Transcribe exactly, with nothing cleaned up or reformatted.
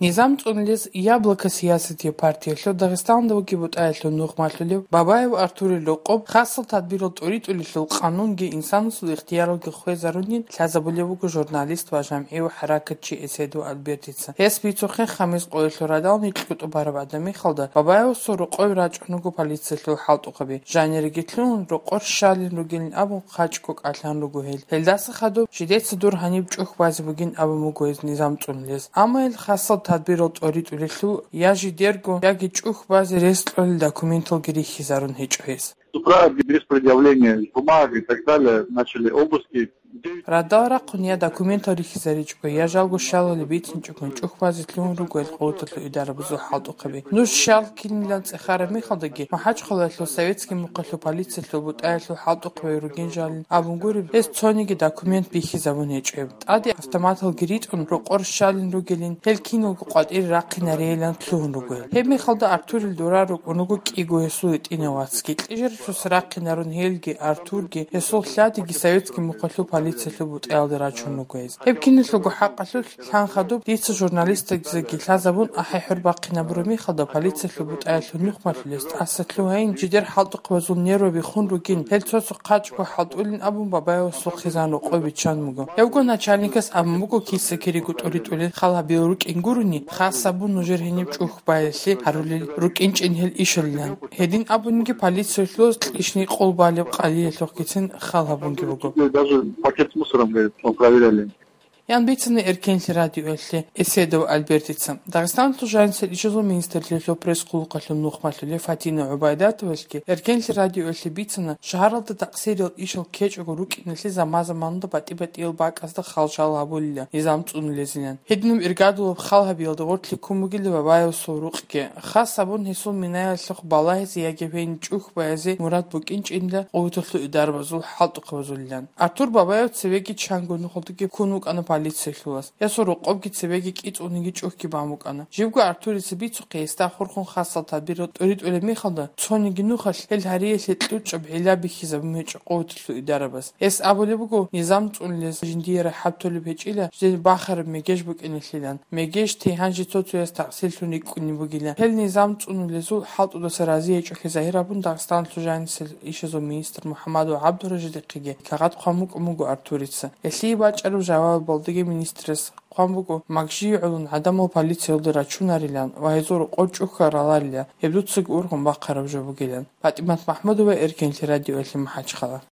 Низам цӀунулез «Яблоко» сиясатияб партиялъул Дагъистаналда вугеб бутӀаялъул нухмалъулев Бабаев Артурил рокъоб хасал тадбирал тӀоритӀулелъул къанунги инсанасул ихтияралги хвезарунин лъазабулеб буго журналист ва жамгӀи ва хӀаракатчи Эседов Альбертица. Гьес бицухъе, хамис къоялъул радал нилъ кьутӀу бараб гӀадамихалда Бабаевасул рокъове рачӀун руго полициялъул хӀалтӀухъаби. Жаниреги лъугьун, рокъор щалин ругелин абун, хъачӀго кӀалъан руго гьел. Гьелдаса хадуб жидеца дур гьаниб чӀухь базе бугин абун буго гьез Низам цӀунулез. Амма гьел хасал тадбирал тӀоритӀулелъул я жидерго, яги чӀухь базе рес кьолел документалги рихьизарун гьечӀо гьес. С утра без предъявления бумаг и так далее начали обыски. Радал рахъун я документал рихьизаричӀого, я жалго щалалде бицинчӀогон чӀухь базе лъугьун руго гьел къуваталъул идарабазул хӀалтӀухъаби. Нуж щал кинилан цӀехараб мехалдаги, МахӀачхъалаялъул советский мухъалъул полициялъул бутӀаялъул хӀалтӀухъаби ругин жалин абун гуреб, гьес цониги документ бихьизабун гьечӀеб. ТӀаде автоматалги ритӀун, рокъор щалин ругелин, гьел киналго къватӀире рахъинарейилан лъугьун руго гьел. Гьеб мехалда Артурил дора рукӀун руго кӀиго гьесул гьитӀинав вацги. Кьижарасус рахъинарун гьелги, Артурги, гьесул лъадиги советский мухъалъул полициялъул бутӀаялде рачун руго гьез. Гьеб киналъулго хӀакъалъулъ лъан хадуб дица журналистазеги лъазабун ахӀи-хӀур бахъинабураб мехалда полициялъул бутӀаялъул нухмалъулез тӀаса лъугьайин, жидер хӀалтӀухъабазул нерваби хун ругин, гьел цо-цо хъачӀго хӀалтӀулин абун Бабаевасул хъизан рокъой биччан буго. Гьевго начальникас абун буго киса-кириго тӀоритӀулел хал гьабиялъ рукӀин гурони, хас абун нужер гьениб чӀухь баялъе гьарулел рукӀинчӀин гьел ишалилан. Гьедин абуниги полициялъулаз кьишни къол балеб къалиялъухъгицин хал гьабунги буго. Даже пакет с мусором, говорит, мы проверяли. Ян бицана Эркенлъи радиоялъе Эседов Альбертица. Дагъистаналъул жанисел ишазул министрлъиялъул пресс-хъулухъалъул нухмалъулев Фатина ГӀубайдатовалъги Эркенлъи радиоялъе бицана, шагьаралда такъсириял ишал ккечӀого рукӀиналъе заман-заманалда батӀи-батӀиял бакӀазда хал-шал гьабулила Низам цӀунулезилан. Гьединаб иргадулаб хал гьабиялда гъорлъ ккун бугила Бабаевасул рукъги. Хас абун гьесул минаялъухъ балагьизе яги гьениб чӀухь баязе мурад букӀинчӀинила къуваталъул идарабазул хӀалтӀухъабазулилан. Артур Бабаев цевеги чанго нухалдаги ккун вукӀана полициялъулас. Гьесул рокъобги цебеги кӀицӀуниги чӀухьги бан букӀана. Живго Артурица бицухъе, гьесда хурхун хасал тадбирал тӀоритӀулеб мехалда, цониги нухалъ гьел гьариялъе кьучӀаб гӀилла бихьизабун гьечӀо къуваталъул идарабаз. Гьес абулеб буго, Низам цӀунулез жиндие рахӀат толеб гьечӀила, жидер бахараб мегеж букӀиналъилан. Мегеж те гьанже цо-цояс такъсирлъун рикӀкӀунеб бугила. Гьел Низам цӀунулезул хӀалтӀудаса рази гьечӀолъи загьир абун Дагъистаналъул жанисел ишазул министр МухӀамадов ГӀабдуражидихъеги кагъат хъван букӀун буго Артурица. Гьелъие бачӀараб жавабалдаги министрас хъван буго, магжие гӀолун гӀадамал полициялде рачунарилан ва гьезул рокъор чӀухьараларила, гьеб дуцаги ургъун бахъараб жо бугилан. ПатӀимат МахӀмудова, Эркенлъи радиоялъе МахӀачхъала.